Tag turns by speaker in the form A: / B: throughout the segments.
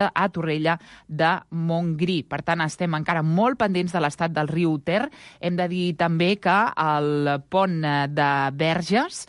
A: a Torrella de Montgrí. Per tant, estem encara molt pendents de l'estat del riu Ter. Hem de dir també que el pont de Verges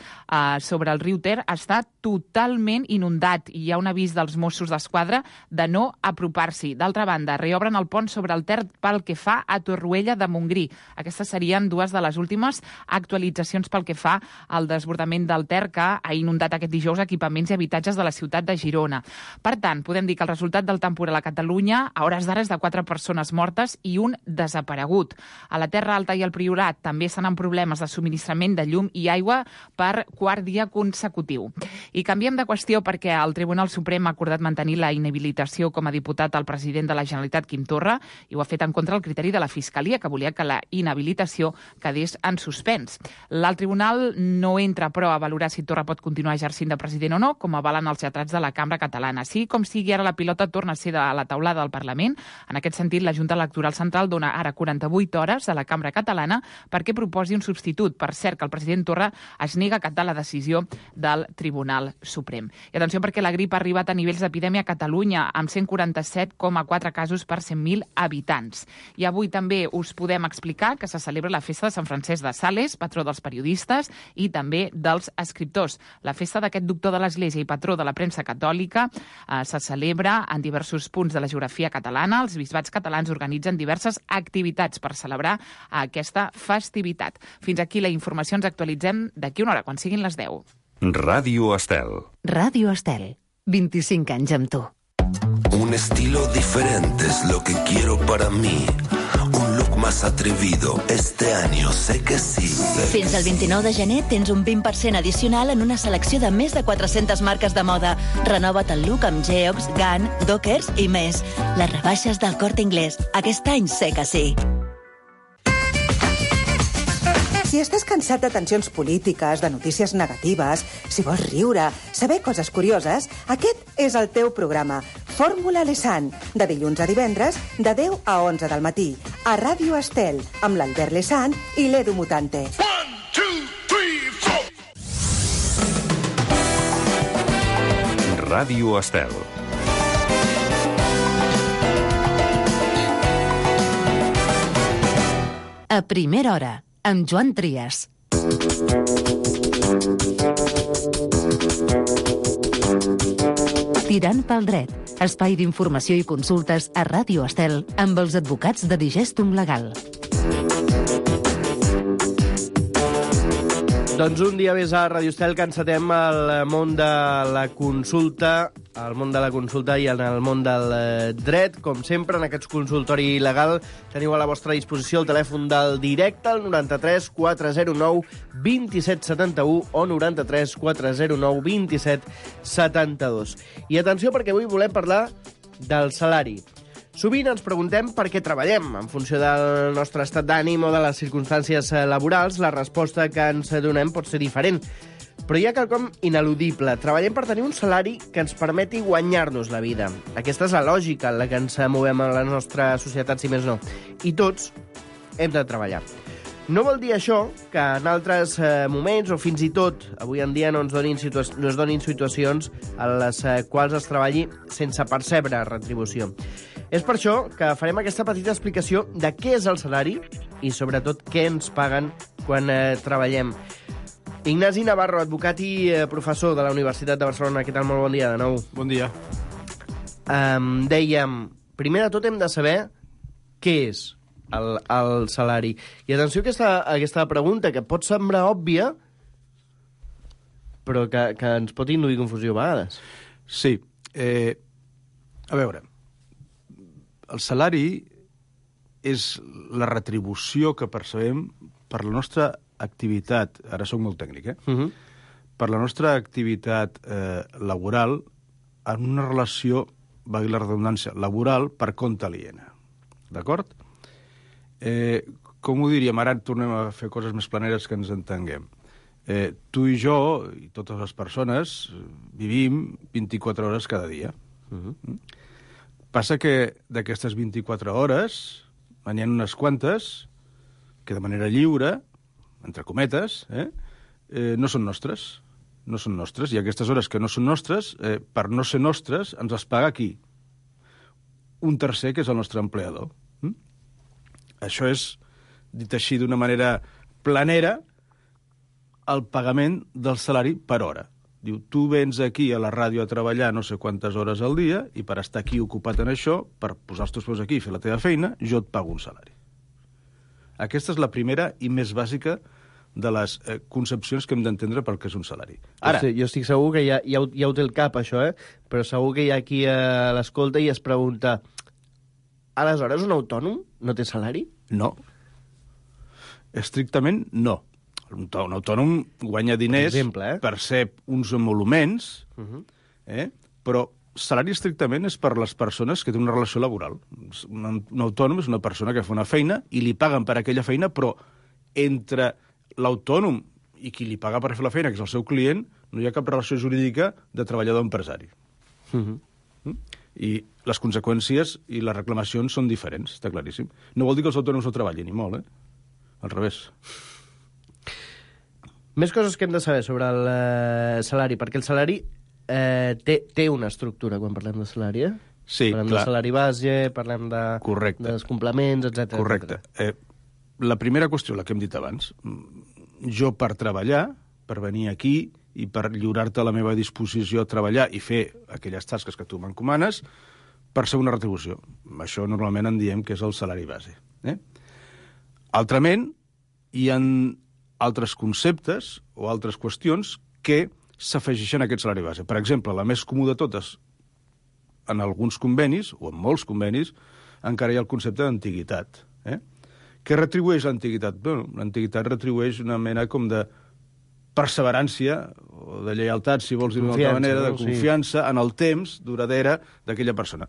A: sobre el riu Ter està totalment inundat i hi ha un avís dels Mossos d'Esquadra de no apropar-s'hi. D'altra banda, reobren el pont sobre el Ter pel que fa a Torroella de Montgrí. Aquestes serien dues de les últimes actualitzacions pel que fa al desbordament del Ter que ha inundat aquest dijous equipaments i habitatges de la ciutat de Girona. Per tant, podem dir que el resultat del temporal a Catalunya a hores d'ara és de 4 persones mortes i un desaparegut. A la Terra Alta i al Priorat també estan en problemes de subministrament de llum i aigua per quart dia consecutiu. I canviem de qüestió perquè el Tribunal Suprem ha acordat mantenir la inhabilitació com a diputat al president de la Generalitat, Quim Torra, i ho ha fet en contra del criteri de la Fiscalia, que volia que la inhabilitació quedés en suspens. L'alt tribunal no entra, però, a valorar si Torra pot continuar exercint de president o no, com avalen els lletrats de la Cambra Catalana. Sí, com sigui, ara la pilota torna a ser de la taulada del Parlament. En aquest sentit, la Junta Electoral Central dona ara 48 hores a la Cambra Catalana perquè proposi un substitut. Per cert, que el president Torra es nega a acatar la decisió del Tribunal Suprem. I atenció perquè la grip ha arribat a nivells d'epidèmia a Catalunya, amb 147,4 casos per 100.000 habitants. I avui també us podem explicar que se celebra la festa de Sant Francesc de Sales, patró dels periodistes i també dels escriptors. La festa d'aquest doctor de l'Església i patró de la premsa catòlica se celebra en diversos punts de la geografia catalana. Els bisbats catalans organitzen diverses activitats per celebrar aquesta festivitat. Fins aquí la informació. Ens actualitzem d'aquí una hora, quan siguin les 10.
B: Radio Estel.
C: Radio Estel. 25 anys amb tu.
D: Un estilo diferente es lo que quiero para mí. Un look más atrevido. Este año sé que sí.
E: Fins al 29 de gener tens un 20% addicional en una selecció de més de 400 marques de moda. Renova't el look amb Geox, Gun, Dockers i més. Les rebaixes del Corte Inglés. Aquest any sé que sí.
F: Si estàs cansat de tensions polítiques, de notícies negatives, si vols riure, saber coses curioses, aquest és el teu programa. Fórmula Lesan, de dilluns a divendres, de 10 a 11 del matí, a Ràdio Estel, amb l'Albert Lesan i l'Edu Mutante.
D: 1, 2, 3, 4.
B: Ràdio Estel.
C: A primera hora, amb Joan Trias. Tirant pel dret, espai d'informació i consultes a Ràdio Estel amb els advocats de Digestum Legal.
G: Doncs un dia més a Ràdio Estel que encetem el món de la consulta, i en el món del dret. Com sempre, en aquest consultori legal teniu a la vostra disposició el telèfon del directe, el 93 409 2771 o 93 409 2772. I atenció, perquè avui volem parlar del salari. Sovint ens preguntem per què treballem. En funció del nostre estat d'ànim o de les circumstàncies laborals, la resposta que ens donem pot ser diferent. Però hi ha quelcom ineludible. Treballem per tenir un salari que ens permeti guanyar-nos la vida. Aquesta és la lògica en la que ens movem a la nostra societat, si més no. I tots hem de treballar. No vol dir això que en altres moments, o fins i tot avui en dia, no es donin situacions en les quals es treballi sense percebre retribució. És per això que farem aquesta petita explicació de què és el salari i, sobretot, què ens paguen quan treballem. Ignasi Navarro, advocat i professor de la Universitat de Barcelona. Què tal? Molt bon dia, de nou.
H: Bon dia.
G: Dèiem, primer de tot hem de saber què és el salari. I atenció a aquesta pregunta, que pot semblar òbvia, però que ens pot induir confusió a vegades.
H: Sí. A veure, el salari és la retribució que percebem per la nostra activitat, ara soc molt tècnic, per la nostra activitat laboral en una relació, valgui la redundància, laboral per compte aliena. D'acord? Com ho diríem? Ara tornem a fer coses més planeres que ens entenguem. Tu i jo, i totes les persones, vivim 24 hores cada dia. Passa que d'aquestes 24 hores n'hi ha unes quantes que de manera lliure, entre cometes, no són nostres. No són nostres. I aquestes hores que no són nostres, per no ser nostres, ens les paga qui? un tercer, que és el nostre empleador. Això és, dit així d'una manera planera, el pagament del salari per hora. Diu, tu vens aquí a la ràdio a treballar no sé quantes hores al dia i per estar aquí ocupat en això, per posar els teus peus aquí i fer la teva feina, jo et pago un salari. Aquesta és la primera i més bàsica de les concepcions que hem d'entendre pel que és un salari. Ara,
G: jo estic segur que ja ho té el cap, això, però segur que hi ha qui l'escolta i es pregunta, aleshores un autònom no té salari?
H: no. Estrictament, no. Un autònom guanya diners per ser uns emoluments, però salari estrictament és per les persones que tenen una relació laboral. Un autònom és una persona que fa una feina i li paguen per aquella feina, però entre l'autònom i qui li paga per fer la feina, que és el seu client, no hi ha cap relació jurídica de treballador-empresari. I les conseqüències i les reclamacions són diferents, està claríssim. No vol dir que els autònoms no treballin, ni molt, Al revés.
G: Més coses que hem de saber sobre el salari, perquè el salari té una estructura quan parlem de salari,
H: Sí,
G: parlem
H: clar.
G: de salari base, parlem dels complements, etc.
H: Correcte. La primera qüestió, la que hem dit abans, jo per treballar, per venir aquí i per lliurar-te a la meva disposició a treballar i fer aquelles tasques que tu m'encomanes, per ser una retribució. Això normalment en diem que és el salari base. Altrament, hi ha altres conceptes o altres qüestions que s'afegeixen a aquest salari base. Per exemple, la més comú de totes, en alguns convenis, o en molts convenis, encara hi ha el concepte d'antiguitat. Què retribueix l'antiguitat? Bueno, l'antiguitat retribueix una mena com de perseverància, o de lleialtat, si vols dir d'una altra manera, de confiança en el temps duradera d'aquella persona.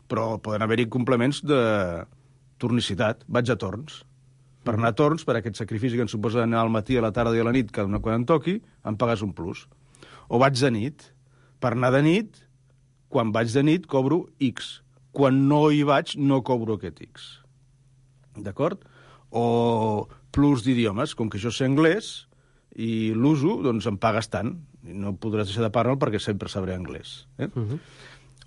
H: Però poden haver-hi complements de tornicitat, vaig a torns. Per anar a torns, per aquest sacrifici que em suposa anar al matí, a la tarda i a la nit, quan em toqui, em pagues un plus. O vaig de nit. Per anar de nit, quan vaig de nit, cobro X. Quan no hi vaig, no cobro aquest X. D'acord? O plus d'idiomes. Com que jo sé anglès i l'uso, doncs em pagues tant. I no podràs deixar de parlar perquè sempre sabré anglès.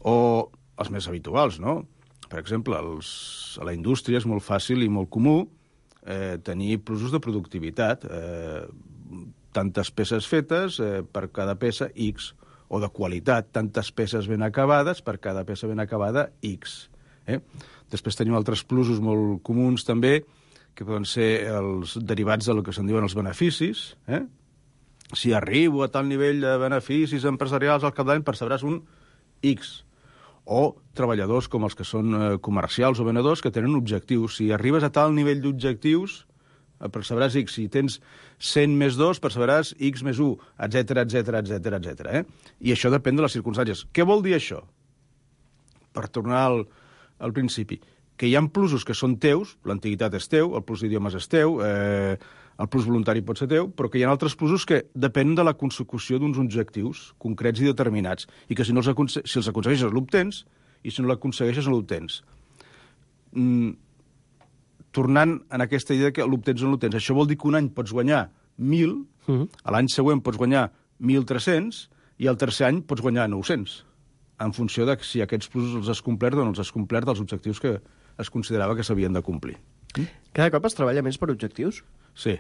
H: O els més habituals, no? Per exemple, a la indústria és molt fàcil i molt comú tenir plusos de productivitat, tantes peces fetes per cada peça X, o de qualitat, tantes peces ben acabades per cada peça ben acabada X. Després tenim altres plusos molt comuns també, que poden ser els derivats del que se'n diuen els beneficis. Si arribo a tal nivell de beneficis empresarials al cap d'any, percebràs un X. O treballadors com els que són comercials o venedors que tenen objectius. Si arribes a tal nivell d'objectius, percebràs X. Si tens 100 més 2, percebràs X més 1, etc etc. I això depèn de les circumstàncies. Què vol dir això? Per tornar al principi. Que hi ha plusos que són teus, l'antiguitat és teu, el plus d'idiomes és teu, el plus voluntari pot ser teu, però que hi ha altres plusos que depenen de la consecució d'uns objectius concrets i determinats, i que si els aconsegueixes l'obtens, i si no l'aconsegueixes no l'obtens. Tornant en aquesta idea que l'obtens o no l'obtens, això vol dir que un any pots guanyar 1.000, a l'any següent pots guanyar 1.300, i el tercer any pots guanyar 900, en funció de si aquests plusos els has complert o no els has complert dels objectius que es considerava que s'havien de complir.
G: Cada cop es treballa més per objectius?
H: Sí.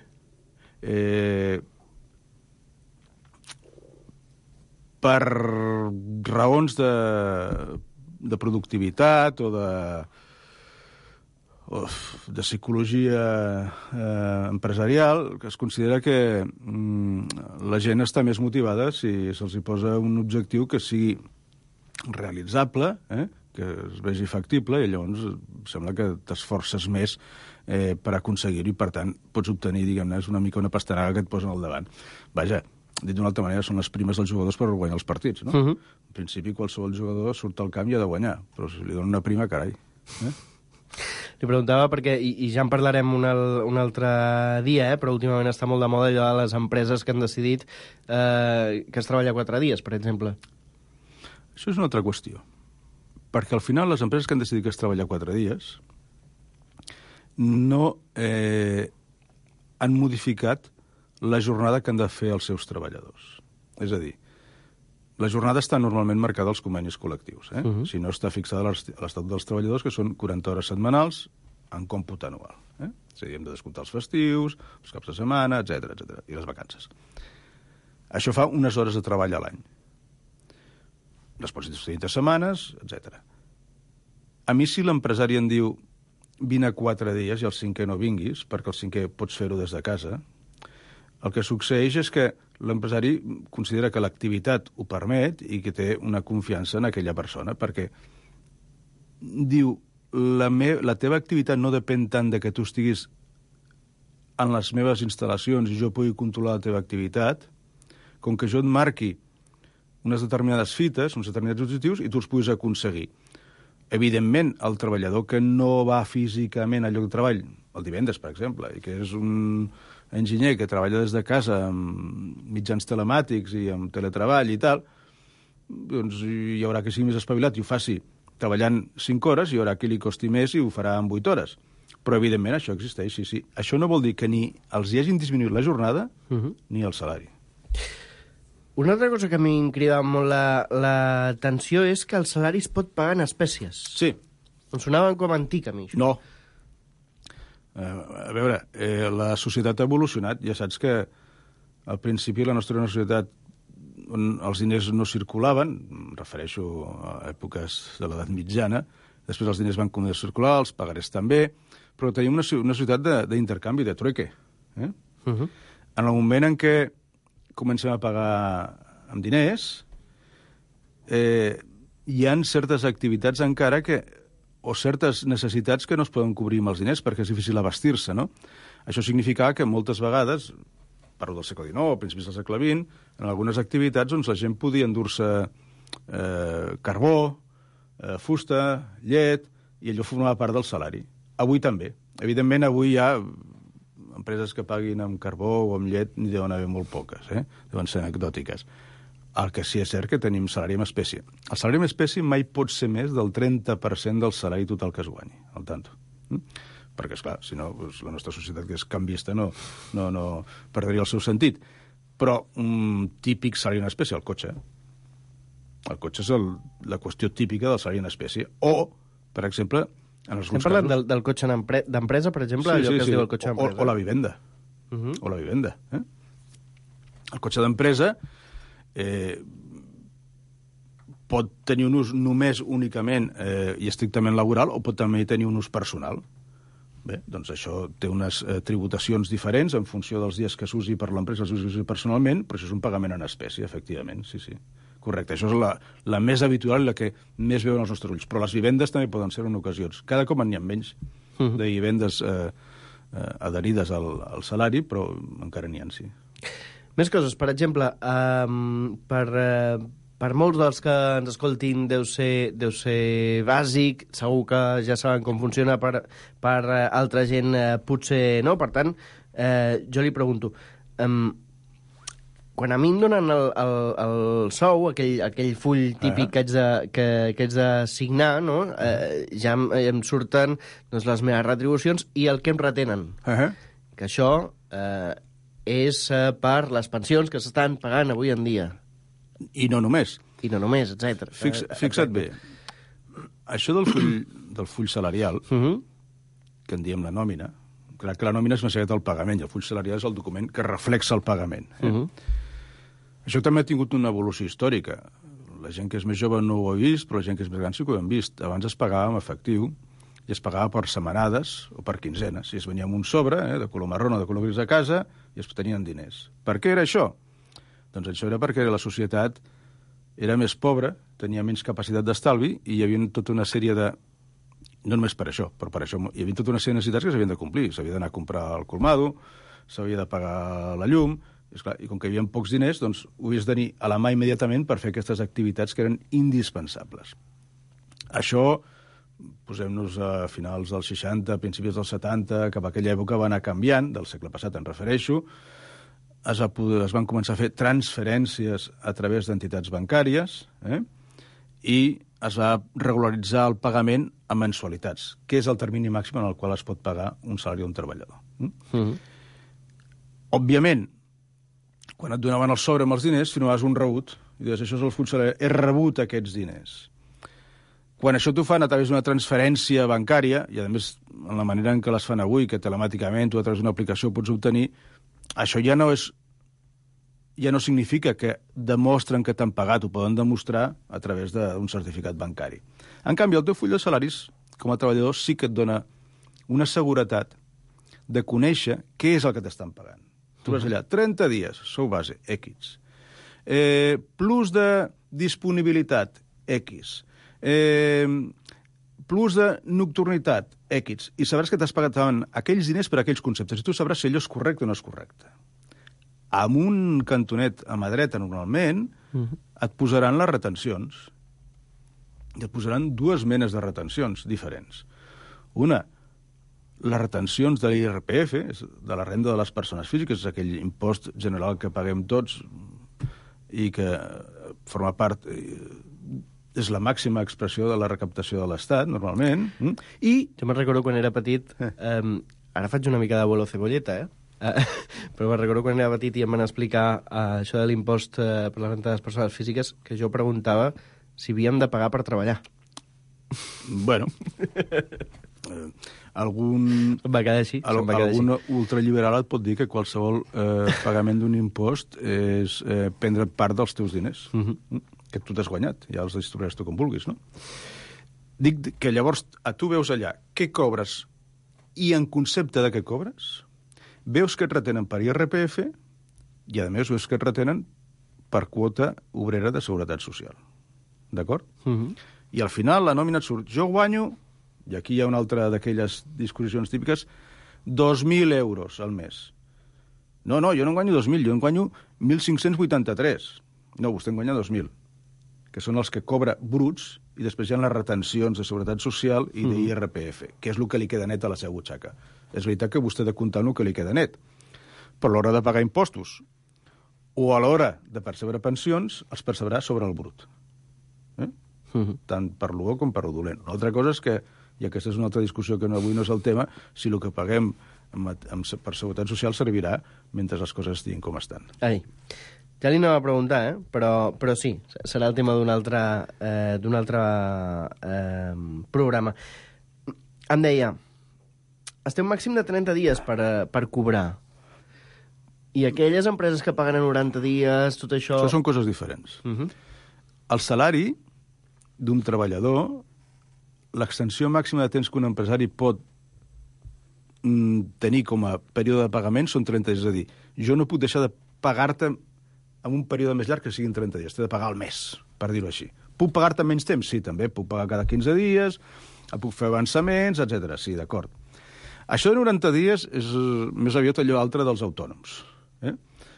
H: Per raons de productivitat o de psicologia empresarial, que es considera que la gent està més motivada si se'ls hi posa un objectiu que sigui realitzable, que es vegi factible, i llavors sembla que t'esforces més per aconseguir-ho i, per tant, pots obtenir, diguem-ne, és una mica una pastanaga que et posen al davant. Vaja, dit d'una altra manera, són les primes dels jugadors per guanyar els partits, no? En principi, qualsevol jugador surt al camp i ha de guanyar, però si li donen una prima, carai.
G: Li preguntava perquè, i ja en parlarem un altre dia, però últimament està molt de moda allò de les empreses que han decidit que es treballa 4 dies, per exemple.
H: Això és una altra qüestió. Perquè al final les empreses que han decidit que es treballa 4 dies no han modificat la jornada que han de fer els seus treballadors. És a dir, La jornada està normalment marcada als convenis col·lectius. Si no, està fixada a l'Estatut dels Treballadors, que són 40 hores setmanals en còmput anual. És a dir, hem de descomptar els festius, els caps de setmana, etc i les vacances. Això fa unes hores de treball a l'any. Les pots distribuir de setmanes, etc. A mi, si l'empresari em diu vine 4 dies i el 5è no vinguis, perquè el 5è pots fer-ho des de casa, el que succeeix és que l'empresari considera que l'activitat ho permet i que té una confiança en aquella persona, perquè diu la teva activitat no depèn tant de que tu estiguis en les meves instal·lacions i jo pugui controlar la teva activitat, com que jo et marqui unes determinades fites, uns determinats objectius, i tu els puguis aconseguir. Evidentment, el treballador que no va físicament al lloc de treball, el divendres, per exemple, i que és un enginyer que treballa des de casa amb mitjans telemàtics i amb teletreball i tal, doncs hi haurà que sigui més espavilat i ho faci treballant 5 hores, hi haurà qui li costi més i ho farà en 8 hores. Però, evidentment, això existeix, sí. Això no vol dir que ni els hi hagin disminuït la jornada ni el salari.
G: Una altra cosa que a mi em crida molt l'atenció és que el salari es pot pagar en espècies.
H: Sí.
G: Em sonava com antic, a mi. Això.
H: No. A veure, la societat ha evolucionat. Ja saps que al principi la nostra era una societat on els diners no circulaven, em refereixo a èpoques de l'edat mitjana, després els diners van començar a circular, els pagarés també, però tenim una societat d'intercanvi, de trueque. En el moment en què comencem a pagar amb diners, hi ha certes activitats encara o certes necessitats que no es poden cobrir amb els diners perquè és difícil abastir-se, no? Això significava que moltes vegades, parlo del segle XIX o principis del segle XX, en algunes activitats doncs, la gent podia endur-se carbó, fusta, llet, i allò formava part del salari. Avui també. Evidentment, avui hi ha empreses que paguin amb carbó o amb llet n'hi deuen haver molt poques, deuen ser anecdòtiques. El que sí és cert que tenim salari en espècie. El salari en espècie mai pot ser més del 30% del salari total que es guanyi, al tanto. Perquè, esclar, si no, la nostra societat, que és canviista, no perdria el seu sentit. Però un típic salari en espècie, el cotxe. El cotxe és la qüestió típica del salari en espècie. O, per exemple, en alguns
G: casos... Estem parlant del cotxe d'empresa, per exemple, allò que es diu el cotxe d'empresa.
H: O la vivenda. O la vivenda. El cotxe d'empresa pot tenir un ús només únicament i estrictament laboral o pot també tenir un ús personal. Bé, doncs això té unes tributacions diferents en funció dels dies que s'usi per l'empresa, s'usi personalment, però això és un pagament en espècie, efectivament, sí. Correcte, això és la més habitual i la que més veuen els nostres ulls. Però les vivendes també poden ser en ocasions. Cada cop n'hi ha menys de vivendes adherides al salari, però encara n'hi ha, sí.
G: Més coses. Per exemple, per molts dels que ens escoltin deu ser bàsic, segur que ja saben com funciona, per altra gent potser no. Per tant, jo li pregunto... Quan a mi em donen el sou, aquell full típic que haig de signar, no? Ja em surten doncs, les meves retribucions i el que em retenen. Que això és per les pensions que s'estan pagant avui en dia.
H: I no només.
G: I no només, etc.
H: Fixa't bé. Això del full salarial, que en diem la nòmina, clar que la nòmina és una secreta del pagament i el full salarial és el document que reflexa el pagament. Això també ha tingut una evolució històrica. La gent que és més jove no ho ha vist, però la gent que és més gran sí que ho hem vist. Abans es pagava amb efectiu i es pagava per setmanades o per quinzenes. I es venia amb un sobre, de color marró o de color gris a casa, i es tenien diners. Per què era això? Doncs això era perquè la societat era més pobra, tenia menys capacitat d'estalvi i hi havia tota una sèrie de... No només per això, però per això hi havia tota una sèrie de necessitats que s'havien de complir. S'havia d'anar a comprar el colmado, s'havia de pagar la llum... I com que hi havia pocs diners, doncs ho havies de tenir a la mà immediatament per fer aquestes activitats que eren indispensables. Això, posem-nos a finals dels 60, principis dels 70, cap a aquella època va anar canviant, del segle passat em refereixo, es van començar a fer transferències a través d'entitats bancàries i es va regularitzar el pagament a mensualitats, que és el termini màxim en el qual es pot pagar un salari d'un treballador. Òbviament, quan et donaven el sobre amb els diners, firmaves un rebut I dius, això és el funcionari, he rebut aquests diners. Quan això t'ho fan a través d'una transferència bancària, i a més, en la manera en què les fan avui, que telemàticament o a través d'una aplicació ho pots obtenir, això ja no significa que demostren que t'han pagat, ho poden demostrar a través d'un certificat bancari. En canvi, el teu full de salaris, com a treballador, sí que et dona una seguretat de conèixer què és el que t'estan pagant. Tu vas allà, 30 dies, sou base, X. Plus de disponibilitat, X. Plus de nocturnitat, X. I sabràs que t'has pagat aquells diners per aquells conceptes. I tu sabràs si allò és correcte o no és correcte. Amb un cantonet a mà dreta, normalment, et posaran les retencions. I et posaran dues menes de retencions diferents. Una, les retencions de l'IRPF, de la renda de les persones físiques, és aquell impost general que paguem tots i que forma part, és la màxima expressió de la recaptació de l'Estat, normalment. I
G: jo me'n recordo quan era petit, ara faig una mica d'abuelo cebolleta, però me'n recordo quan era petit i em van explicar això de l'impost per la renta de les persones físiques, que jo preguntava si havíem de pagar per treballar.
H: Bueno, algun ultraliberal et pot dir que qualsevol pagament d'un impost és prendre part dels teus diners, que tu t'has guanyat, ja els distribuiràs tu com vulguis, no? Dic que llavors tu veus allà què cobres i en concepte de què cobres, veus que et retenen per IRPF i, a més, veus que et retenen per quota obrera de seguretat social. D'acord? I al final la nòmina et surt. Jo guanyo, i aquí hi ha una altra d'aquelles discussions típiques, 2.000 euros al mes. No, jo no en guanyo 2.000, jo en guanyo 1.583. No, vostè en guanya 2.000, que són els que cobra bruts, i després hi ha les retencions de seguretat social i d'IRPF, que és el que li queda net a la seva butxaca. És veritat que vostè ha de comptar el que li queda net, però a l'hora de pagar impostos o a l'hora de percebre pensions, els percebrà sobre el brut. Tant per lo bo com per lo dolent. Una altra cosa és que, i aquesta és una altra discussió que avui no és el tema, si el que paguem per seguretat social servirà mentre les coses estiguin com estan.
G: Ai, ja li anava a preguntar, però sí, serà el tema d'un altre programa. Em deia, esteu màxim de 30 dies per cobrar. I aquelles empreses que paguen a 90 dies, tot això...
H: Això són coses diferents. El salari d'un treballador, l'extensió màxima de temps que un empresari pot tenir com a període de pagament són 30 dies. És a dir, jo no puc deixar de pagar-te en un període més llarg que siguin 30 dies. T'he de pagar al mes, per dir-ho així. Puc pagar-te menys temps? Sí, també. Puc pagar cada 15 dies, puc fer avançaments, etc. Sí, d'acord. Això de 90 dies és més aviat allò altre dels autònoms.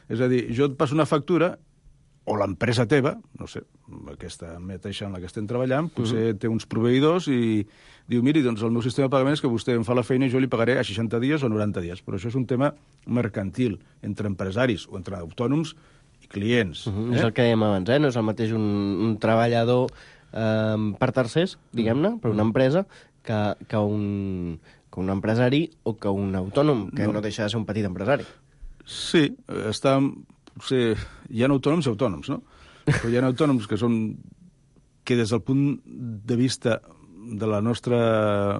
H: És a dir, jo et passo una factura, o l'empresa teva, no sé, aquesta mateixa en la que estem treballant, potser té uns proveïdors i diu, miri, doncs el meu sistema de pagament és que vostè em fa la feina i jo li pagaré a 60 dies o 90 dies. Però això és un tema mercantil entre empresaris o entre autònoms i clients.
G: És el que dèiem abans, no és el mateix un treballador per tercers, diguem-ne, per una empresa, que un empresari o que un autònom, que no deixa de ser un petit empresari.
H: Sí, hi ha autònoms i autònoms, no? Però hi ha autònoms que des del punt de vista de la nostra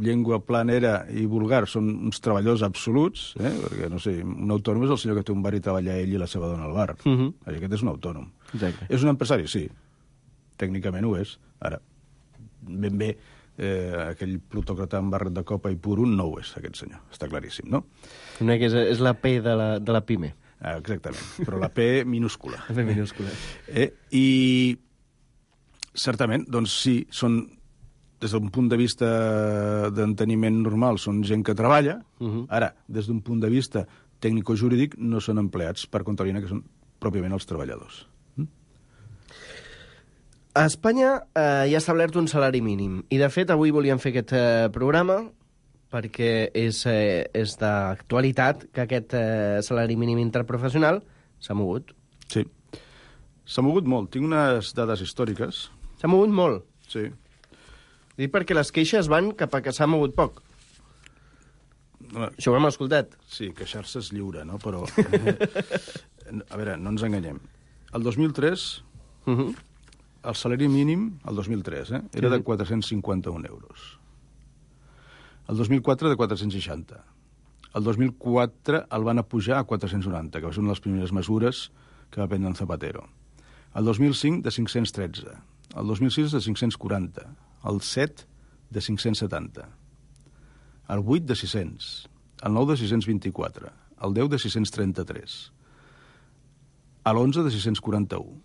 H: llengua planera i vulgar són uns treballadors absoluts, perquè, no sé, un autònom és el senyor que té un bar i treballa ell i la seva dona al bar. Aquest és un autònom.
G: Exacte.
H: És un empresari? Sí. Tècnicament ho és. Ara, ben bé, aquell plutòcrata amb barret de copa i puro no ho és, aquest senyor. Està claríssim, no?
G: Una que és la P de la PIME.
H: Exactament, però la P minúscula.
G: La P minúscula.
H: I certament, doncs sí, són, des d'un punt de vista d'enteniment normal, són gent que treballa. Ara, des d'un punt de vista tècnico-jurídic, no són empleats per compte aliena, que són pròpiament els treballadors.
G: A Espanya hi ha establert un salari mínim. I, de fet, avui volíem fer aquest programa perquè és d'actualitat que aquest salari mínim interprofessional s'ha mogut.
H: Sí. S'ha mogut molt. Tinc unes dades històriques.
G: S'ha mogut molt?
H: Sí.
G: Dic perquè les queixes van cap a que s'ha mogut poc. Això ho hem escoltat.
H: Sí, queixar-se és lliure, no? Però, a veure, no ens enganyem. El 2003, el salari mínim, el 2003, era de 451 euros. El 2004 de 460. El 2004 el van pujar a 490, que va ser una de les primeres mesures que va prendre en Zapatero. El 2005 de 513. El 2006 de 540. El 7 de 570. El 8 de 600. El 9 de 624. El 10 de 633. L'11 de 641.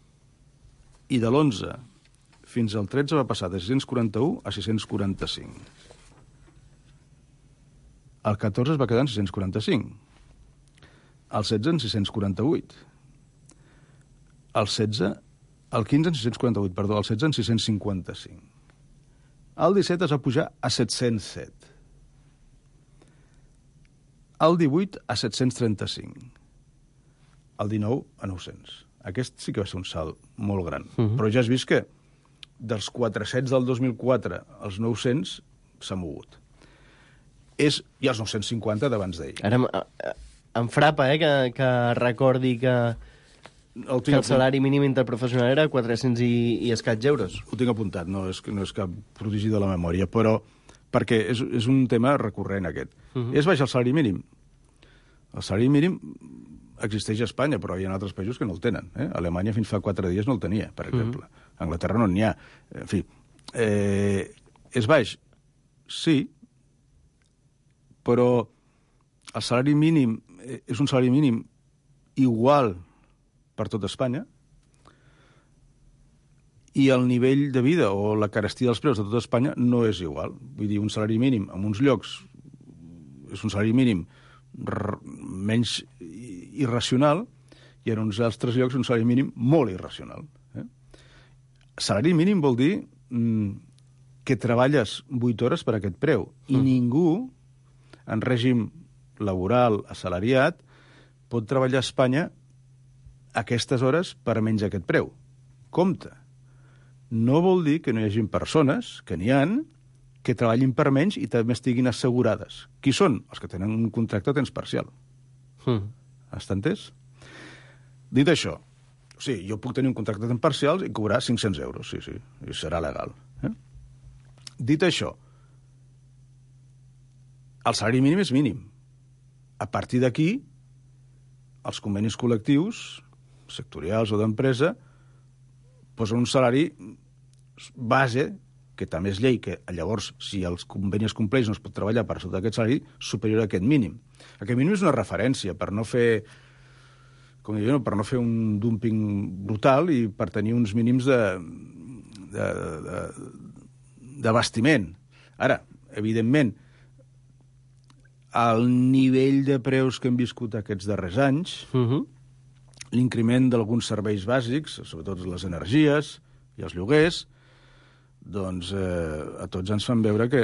H: I de l'11 fins al 13 va passar de 641 a 645. El 14 es va quedar en 645. El 16 en 648. El 15 en 648, perdó, el 16 en 655. El 17 es va pujar a 707. El 18 a 735. El 19 a 900. Aquest sí que va ser un salt molt gran. Però ja has vist que dels 400 del 2004 als 900 s'ha mogut. I els 950 d'abans d'ahir.
G: Ara em frapa, que recordi que el salari mínim interprofessional era 400 i escaig euros.
H: Ho tinc apuntat, no és cap prodigi de la memòria, però perquè és un tema recurrent, aquest. És baix el salari mínim. El salari mínim existeix a Espanya, però hi ha altres països que no el tenen. Alemanya fins fa 4 dies no el tenia, per exemple. A Anglaterra no n'hi ha. En fi, és baix? Sí, però el salari mínim és un salari mínim igual per tot Espanya i el nivell de vida o la carestia dels preus de tot Espanya no és igual. Vull dir, un salari mínim en uns llocs és un salari mínim menys irracional i en uns altres llocs un salari mínim molt irracional. Salari mínim vol dir que treballes 8 hores per aquest preu i ningú en règim laboral assalariat pot treballar a Espanya aquestes hores per menys aquest preu. Compte. No vol dir que no hi hagi persones, que n'hi han, que treballin per menys i també estiguin assegurades. Qui són? Els que tenen un contracte a temps parcial. Està entès? Dit això, o sigui, jo puc tenir un contracte a temps parcial i cobrar 500 euros, sí, i serà legal. Dit això, el salari mínim és mínim. A partir d'aquí, els convenis col·lectius, sectorials o d'empresa, posen un salari base, que també és llei, que llavors, si els convenis es compleix, no es pot treballar per sota d'aquest salari superior a aquest mínim. Aquest mínim és una referència per no fer, com dic, per no fer un dumping brutal i per tenir uns mínims d'abastiment. Ara, evidentment, al nivell de preus que hem viscut aquests darrers anys, l'increment d'alguns serveis bàsics, sobretot les energies i els lloguers, doncs a tots ens fan veure que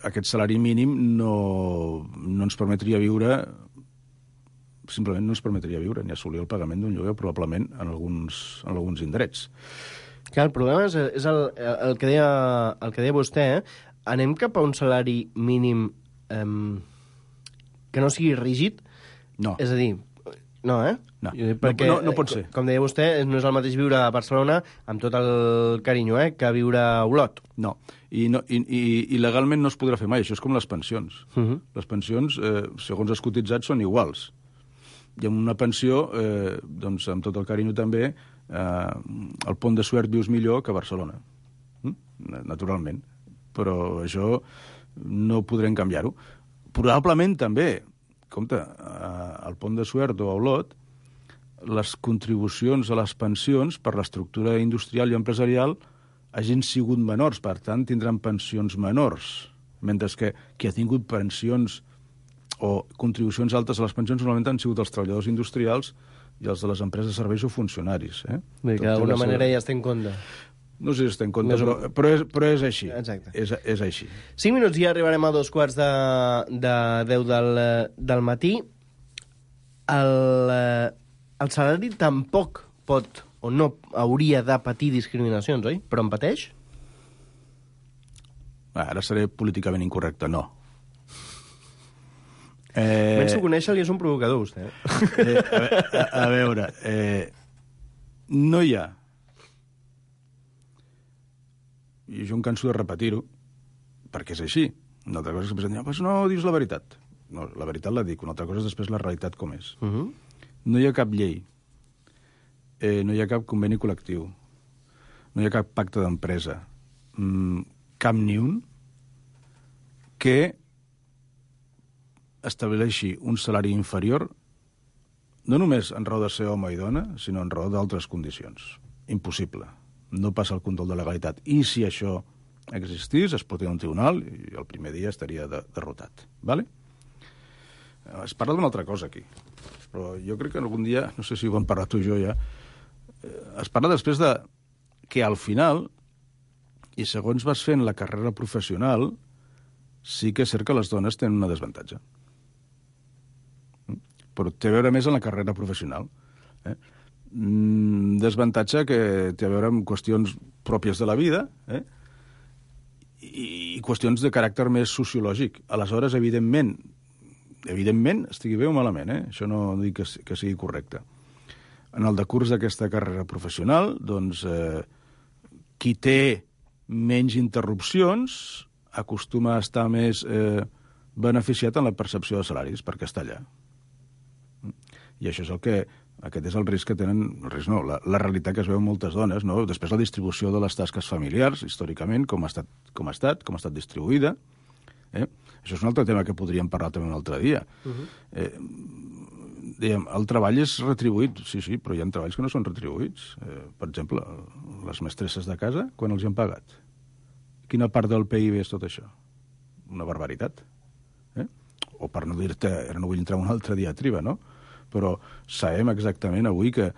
H: aquest salari mínim no ens permetria viure, simplement no ens permetria viure ni assolir el pagament d'un lloguer, probablement en alguns indrets.
G: Clar, el problema és el que deia vostè, anem cap a un salari mínim que no sigui rígid?
H: No.
G: És a dir, no,
H: No,
G: perquè,
H: no pot ser.
G: Com deia vostè, no és el mateix viure a Barcelona, amb tot el carinyo, que viure a Olot.
H: No, i legalment no es podrà fer mai. Això és com les pensions. Les pensions, segons els cotitzats, són iguals. I amb una pensió, doncs, amb tot el carinyo també, al Pont de Suert vius millor que a Barcelona. Naturalment. Però això no podrem canviar-ho. Probablement també, compte, al Pont de Suert o a Olot, les contribucions a les pensions per l'estructura industrial i empresarial hagin sigut menors, per tant, tindran pensions menors, mentre que qui ha tingut pensions o contribucions altes a les pensions normalment han sigut els treballadors industrials i els de les empreses de serveis o funcionaris.
G: Bé, que d'alguna manera ja està en compte.
H: No sé si està en compte, però és així.
G: Exacte.
H: És així.
G: 5 minuts i ja arribarem a 2:45 del matí. El salari tampoc pot o no hauria de patir discriminacions, oi? Però en pateix?
H: Ara seré políticament incorrecte, no.
G: Penso conèixer-li, és un provocador, vostè.
H: A veure, no hi ha, i jo em canso de repetir-ho, perquè és així. Una altra cosa és que pensen, pues no, dius la veritat. No, la veritat la dic, una altra cosa és després la realitat com és. No hi ha cap llei, no hi ha cap conveni col·lectiu, no hi ha cap pacte d'empresa, cap ni un, que estableixi un salari inferior no només en raó de ser home i dona, sinó en raó d'altres condicions. Impossible. No passa el control de legalitat. I si això existís, es portaria a un tribunal i el primer dia estaria derrotat. Vale? Es parla d'una altra cosa aquí. Però jo crec que algun dia, no sé si ho hem parlat tu i jo ja, es parla després de que al final, i segons vas fent la carrera professional, sí que és cert que les dones tenen una desavantatge. Però té a veure més en la carrera professional. Desavantatge que té a veure amb qüestions pròpies de la vida i qüestions de caràcter més sociològic. Aleshores, evidentment, estigui bé o malament, això no dic que sigui correcte. En el decurs d'aquesta carrera professional, doncs, qui té menys interrupcions acostuma a estar més beneficiat en la percepció de salaris, perquè està allà. I això és aquest és el risc que tenen, el risc no, la realitat que es veu en moltes dones, no? Després la distribució de les tasques familiars, històricament, com ha estat distribuïda. Això és un altre tema que podríem parlar també un altre dia. Dèiem, el treball és retribuït, sí, però hi ha treballs que no són retribuïts. Per exemple, les mestresses de casa, quan els hi han pagat? Quina part del PIB és tot això? Una barbaritat. O per no dir-te, ara no vull entrar en una altra diatriba, no? Però sabem exactament avui que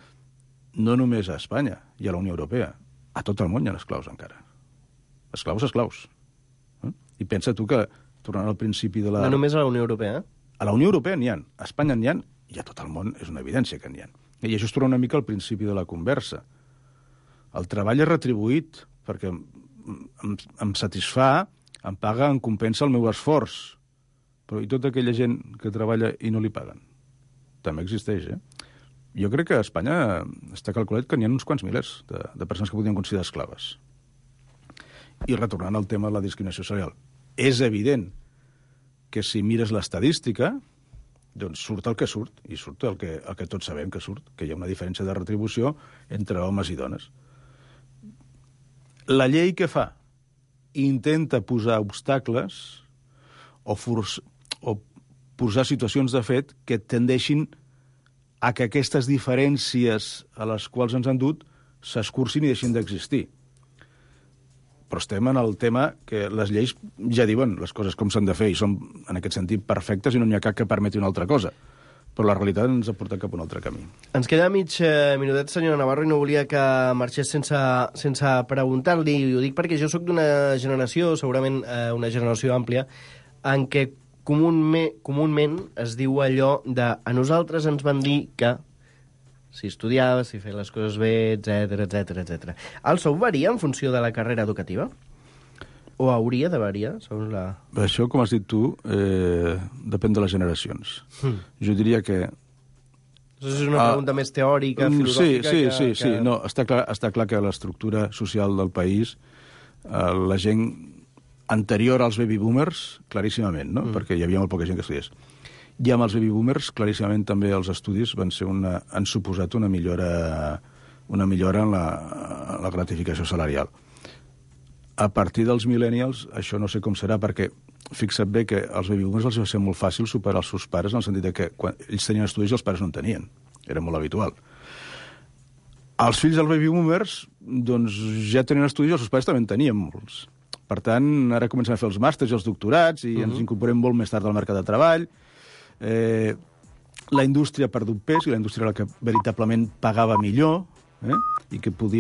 H: no només a Espanya i a la Unió Europea, a tot el món hi ha esclaus encara. Esclaus. I pensa tu que, tornant al principi de la...
G: No només a la Unió Europea?
H: A la Unió Europea n'hi ha, a Espanya n'hi ha, i a tot el món és una evidència que n'hi ha. I això es torna una mica al principi de la conversa. El treball és retribuït perquè em satisfà, em paga, em compensa el meu esforç. Però i tota aquella gent que treballa i no li paguen? També existeix, Jo crec que a Espanya està calculat que n'hi ha uns quants milers de persones que podien considerar esclaves. I retornant al tema de la discriminació salarial, és evident que si mires l'estadística, doncs surt el que surt, i surt el que tots sabem que surt, que hi ha una diferència de retribució entre homes i dones. La llei què fa? Intenta posar obstacles o posar situacions de fet que tendeixin a que aquestes diferències a les quals ens han dut s'escurcin i deixin d'existir. Però estem en el tema que les lleis ja diuen les coses com s'han de fer i són, en aquest sentit, perfectes i no n'hi ha cap que permeti una altra cosa. Però la realitat ens ha portat cap a un altre camí.
G: Ens queda mig minutet, senyora Navarro, i no volia que marxés sense preguntar-li. I ho dic perquè jo sóc d'una generació, segurament una generació àmplia, en què comúment es diu allò de a nosaltres ens van dir que si estudiaves, si feia les coses bé, etc. El sou varia en funció de la carrera educativa? O hauria de variar, segons la...
H: Això, com has dit tu, depèn de les generacions. Jo diria que...
G: Això és una pregunta més teòrica, filosòfica...
H: Sí. No, està clar que l'estructura social del país, la gent anterior als baby boomers, claríssimament, no? Perquè hi havia molt poca gent que estudiés. I amb els baby boomers, claríssimament, també els estudis han suposat una millora en la gratificació salarial. A partir dels millennials, això no sé com serà, perquè fixa't bé que als baby boomers els va ser molt fàcil superar els seus pares, en el sentit que quan ells tenien estudis i els pares no en tenien. Era molt habitual. Els fills dels baby boomers, doncs, ja tenien estudis i els seus pares també en tenien molts. Per tant, ara comencem a fer els màsters i els doctorats i ens incorporem molt més tard al mercat de treball. La indústria ha perdut pes i la indústria era la que veritablement pagava millor i que podia